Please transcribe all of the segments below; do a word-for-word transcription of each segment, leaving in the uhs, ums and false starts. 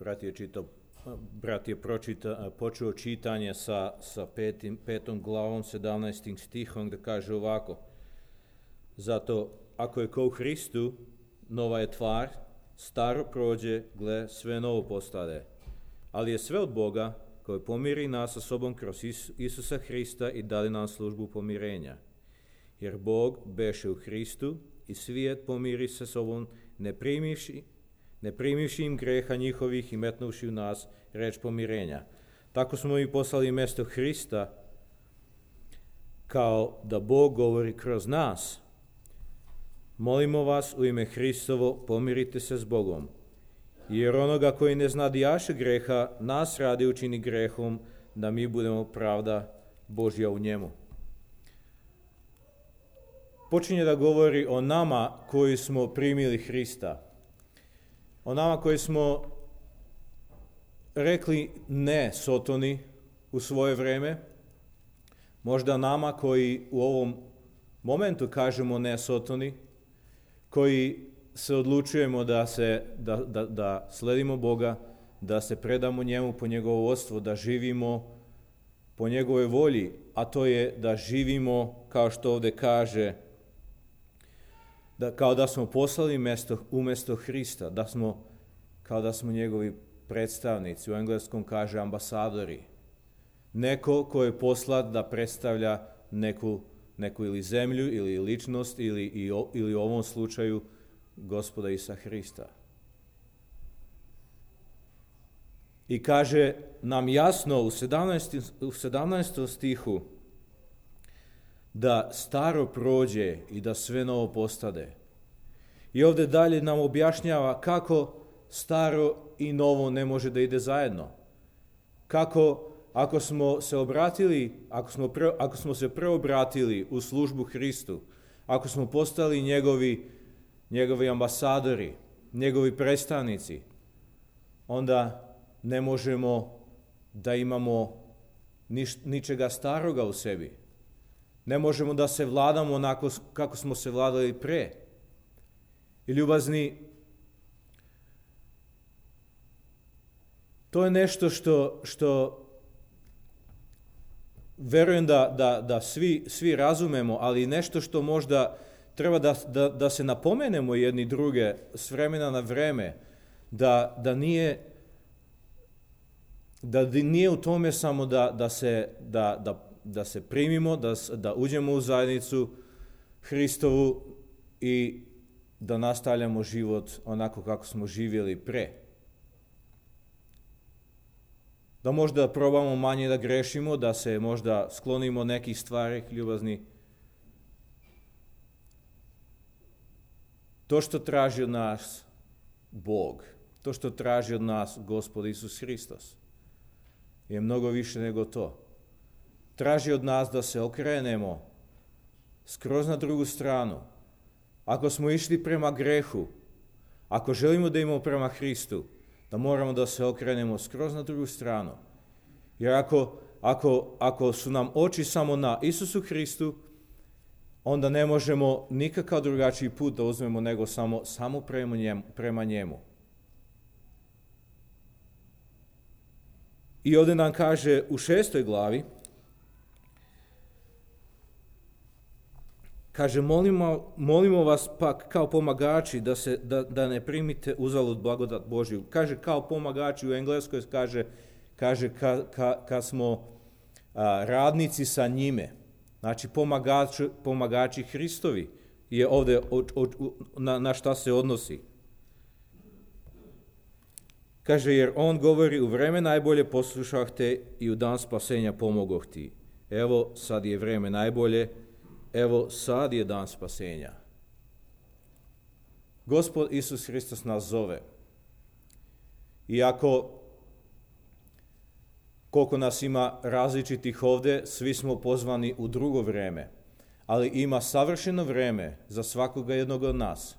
brat je, čitao, brat je pročita, počeo čitanje sa, sa petim, petom glavom, sedamnaestim stihom, da kaže ovako: zato, ako je ko u Hristu, nova je tvar, staro prođe, gle, sve novo postade. Ali je sve od Boga, koji pomiri nas sa sobom kroz Isusa Hrista i dali nam službu pomirenja. Jer Bog beše u Hristu i svijet pomiri sa sobom, ne primivši, ne primivši im greha njihovih i metnuvši u nas reč pomirenja. Tako smo i poslali mjesto Hrista, kao da Bog govori kroz nas. Molimo vas u ime Hristovo, pomirite se s Bogom. Jer onoga koji ne znadijaše greha, nas radi učini grehom, da mi budemo pravda Božja u njemu. Počinje da govori o nama koji smo primili Hrista. O nama koji smo rekli ne Sotoni u svoje vreme. Možda nama koji u ovom momentu kažemo ne Sotoni, koji se odlučujemo da, se, da, da, da sledimo Boga, da se predamo njemu po njegovo vodstvo, da živimo po njegove volji, a to je da živimo, kao što ovdje kaže, da, kao da smo poslali mesto, umjesto Hrista, da smo, kao da smo njegovi predstavnici, u engleskom kaže ambasadori. Neko ko je poslat da predstavlja neku, neku ili zemlju, ili ličnost, ili, i, ili u ovom slučaju Gospoda Isusa Hrista. I kaže nam jasno u sedamnaestom, u sedamnaestom stihu da staro prođe i da sve novo postade. I ovdje dalje nam objašnjava kako staro i novo ne može da ide zajedno. Kako ako smo se obratili, ako smo, pre, ako smo se preobratili u službu Hristu, ako smo postali njegovi, njegovi ambasadori, njegovi predstavnici, onda ne možemo da imamo niš, ničega staroga u sebi. Ne možemo da se vladamo onako kako smo se vladali pre. I ljubazni, to je nešto što, što verujem da, da, da svi, svi razumemo, ali nešto što možda treba da, da, da se napomenemo jedni druge s vremena na vreme, da, da nije da nije u tome samo da, da, se, da, da, da se primimo, da, da uđemo u zajednicu Hristovu i da nastavljamo život onako kako smo živjeli pre. Da možda probamo manje da grešimo, da se možda sklonimo nekih stvari, ljubazni. To što traži od nas Bog, to što traži od nas Gospod Isus Hristos, je mnogo više nego to. Traži od nas da se okrenemo skroz na drugu stranu. Ako smo išli prema grehu, ako želimo da imamo prema Hristu, da moramo da se okrenemo skroz na drugu stranu. Jer ako, ako, ako su nam oči samo na Isusu Hristu, onda ne možemo nikakav drugačiji put da uzmemo nego samo, samo prema njemu. Prema njemu. I ovdje nam kaže u šestoj glavi, kaže, molimo, molimo vas pak kao pomagači da, se, da, da ne primite uzalud blagodat Božju. Kaže kao pomagači, u engleskoj kaže, kaže ka, ka, ka smo a, radnici sa njime. Znači pomagači, pomagači Hristovi je ovdje od, od, na, na šta se odnosi. Kaže, jer on govori, u vreme najbolje poslušah te i u dan spasenja pomogoh ti. Evo, sad je vreme najbolje, evo, sad je dan spasenja. Gospod Isus Hristos nas zove. Iako, koliko nas ima različitih ovdje, svi smo pozvani u drugo vreme, ali ima savršeno vreme za svakoga jednog od nas,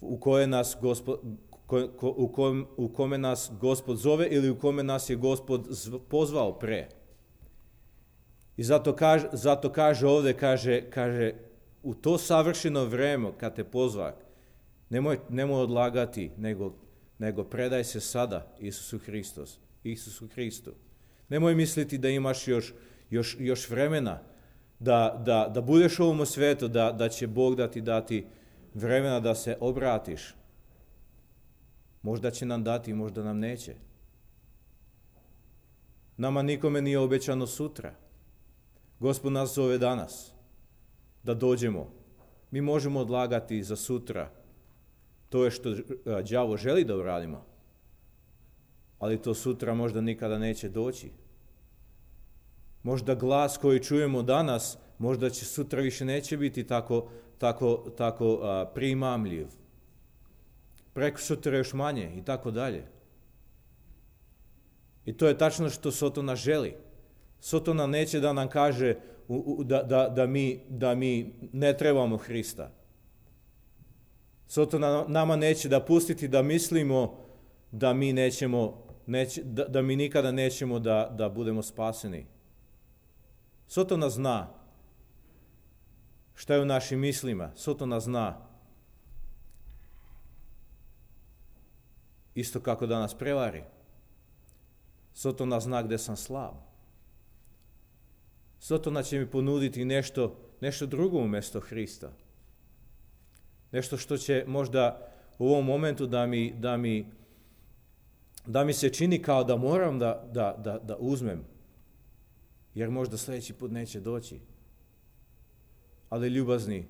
u koje nas Gospod, ko, ko, u, kom, u kome nas Gospod zove ili u kome nas je Gospod pozvao pre. I zato kaže, zato kaže ovdje, kaže, kaže, u to savršeno vreme kad te pozva, nemoj, nemoj odlagati, nego nego predaj se sada Isusu Hristos, Isusu Hristu. Nemoj misliti da imaš još, još, još vremena da, da, da budeš u ovom svijetu, da, da će Bog da ti dati vremena da se obratiš. Možda će nam dati, možda nam neće. Nama nikome nije obećano sutra. Gospod nas zove danas da dođemo. Mi možemo odlagati za sutra to je što đavo želi da uradimo, ali to sutra možda nikada neće doći. Možda glas koji čujemo danas, možda će sutra više neće biti tako, tako, tako a, primamljiv. Preko sutra još manje i tako dalje. I to je tačno što Sotona želi. Sotona neće da nam kaže u, u, da, da, da, mi, da mi ne trebamo Hrista. Sotona nama neće da pustiti da mislimo da mi nećemo, neće, da, da mi nikada nećemo da, da budemo spaseni. Sotona zna šta je u našim mislima. Sotona zna isto kako da nas prevari. Sotona zna gde sam slab. Sotona će mi ponuditi nešto, nešto drugo umjesto Hrista. Nešto što će možda u ovom momentu da mi, da mi, da mi se čini kao da moram da, da, da, da uzmem. Jer možda sljedeći put neće doći. Ali ljubazni,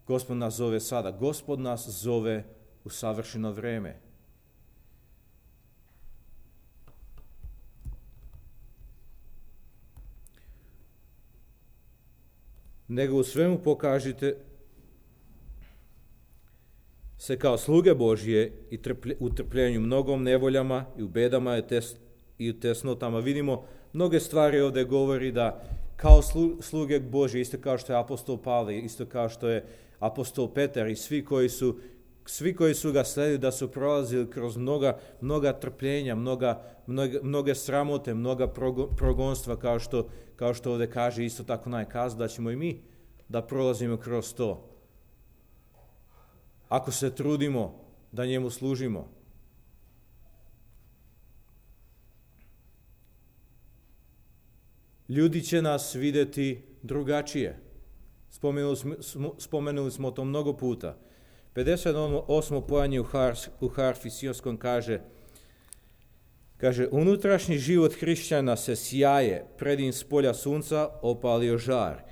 Gospod nas zove sada. Gospod nas zove u savršeno vreme. Nego u svemu pokažite se kao sluge Božje i trplje, u trpljenju mnogom nevoljama i u bedama i, tes, i u tesnotama. Vidimo mnoge stvari ovdje govori da kao slu, sluge Božje, isto kao što je apostol Pavle, isto kao što je apostol Petar i svi koji su, svi koji su ga sledili da su prolazili kroz mnoga, mnoga trpljenja, mnoga, mnoge, mnoge sramote, mnoga progonstva, kao što, kao što ovdje kaže isto tako najkaz, da ćemo i mi da prolazimo kroz to. Ako se trudimo da njemu služimo. Ljudi će nas vidjeti drugačije. Spomenuli smo, spomenuli smo to mnogo puta. pedeset osmo pojanje u, har, u harfi Sionskom kaže, kaže, unutrašnji život hrišćana se sjaje, pred im s polja sunca opalio žar.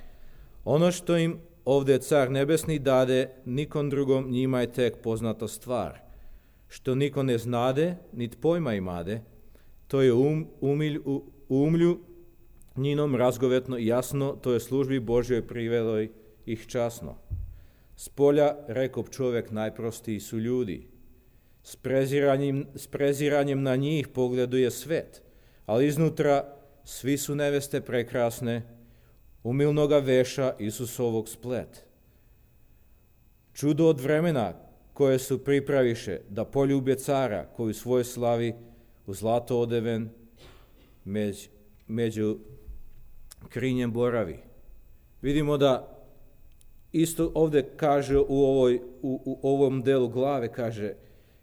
Ono što im ovdje car nebesni dade, nikom drugom njima je tek poznata stvar. Što niko ne znade, nit pojma imade, to je um, umilj, u, umlju njinom razgovetno i jasno, to je službi Božjoj privelo ih časno. S polja, rekop čovjek, najprostiji su ljudi. S preziranjem, s preziranjem na njih pogleduje svet, ali iznutra svi su neveste prekrasne, umilnoga veša Isusovog splet. Čudo od vremena koje su pripraviše da poljube cara koji u svojoj slavi u zlato odeven među, među krinjem boravi. Vidimo da isto ovdje kaže u, ovoj, u, u ovom delu glave, kaže,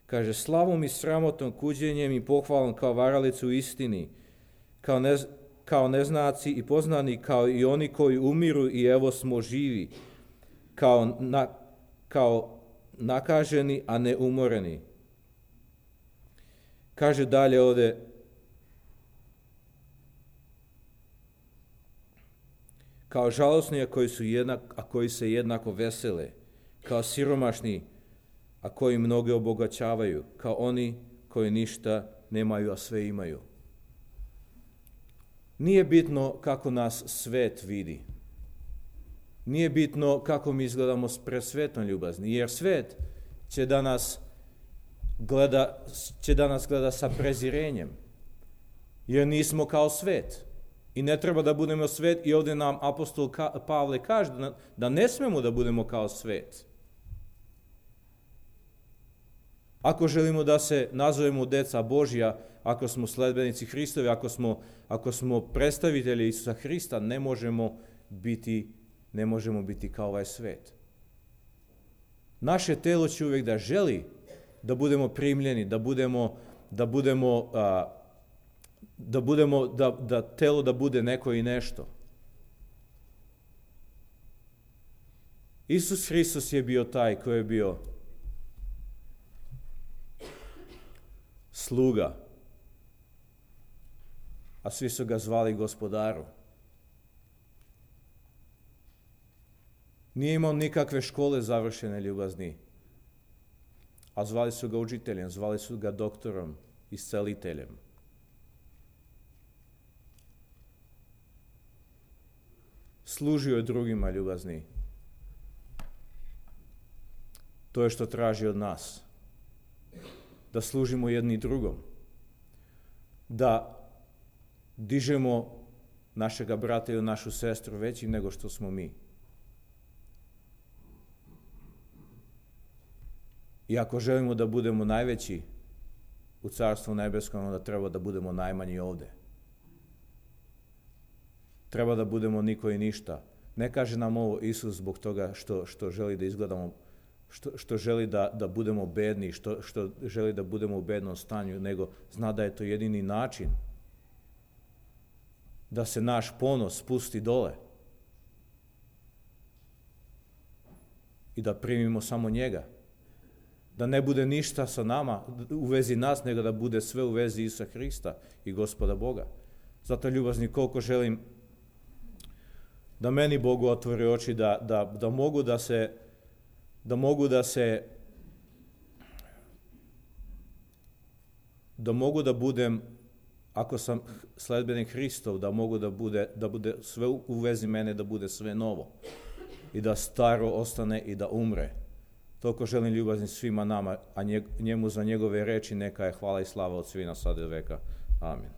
kaže slavom i sramotom, kuđenjem i pohvalom kao varalicu u istini, kao, ne, kao neznaci i poznani, kao i oni koji umiru i evo smo živi, kao, na, kao nakaženi, a ne umoreni. Kaže dalje ovdje, kao žalosni, a koji, su jednak, a koji se jednako vesele, kao siromašni, a koji mnoge obogaćavaju, kao oni koji ništa nemaju, a sve imaju. Nije bitno kako nas svet vidi. Nije bitno kako mi izgledamo pred svetom ljubazni, jer svet će da nas gleda, će da nas gleda sa prezirenjem, jer nismo kao svet. I ne treba da budemo svet, i ovdje nam apostol Pavle kaže da ne smemo da budemo kao svet. Ako želimo da se nazovemo deca Božja, ako smo sledbenici Hristovi, ako smo, ako smo predstavitelji Isusa Hrista, ne možemo biti, ne možemo biti kao ovaj svet. Naše telo će uvijek da želi da budemo primljeni, da budemo, da budemo, a, da budemo, da, da telo da bude neko i nešto. Isus Hristos je bio taj koji je bio sluga, a svi su ga zvali gospodaru. Nije imao nikakve škole završene, ljubazni, a zvali su ga učiteljem, zvali su ga doktorom, isceliteljem. Služio je drugima, ljubazni. To je što traži od nas. Da služimo jedni drugom. Da dižemo našega brata ili našu sestru većim nego što smo mi. I ako želimo da budemo najveći u Carstvu nebeskom, onda treba da budemo najmanji ovde. Treba da budemo niko i ništa. Ne kaže nam ovo Isus zbog toga što, što želi da izgledamo, što, što želi da, da budemo bedni, što, što želi da budemo u bednom stanju, nego zna da je to jedini način da se naš ponos spusti dole i da primimo samo njega. Da ne bude ništa sa nama u vezi nas, nego da bude sve u vezi Isusa Hrista i Gospoda Boga. Zato, ljubazni, koliko želim da meni Bogu otvori oči, da, da, da mogu da se, da mogu da se, da mogu da budem, ako sam sledbenik Hristov, da mogu da bude, da bude sve u vezi mene, da bude sve novo i da staro ostane i da umre. Toliko želim, ljubazni, svima nama, a njemu za njegove reči neka je hvala i slava od svina sada i veka. Amin.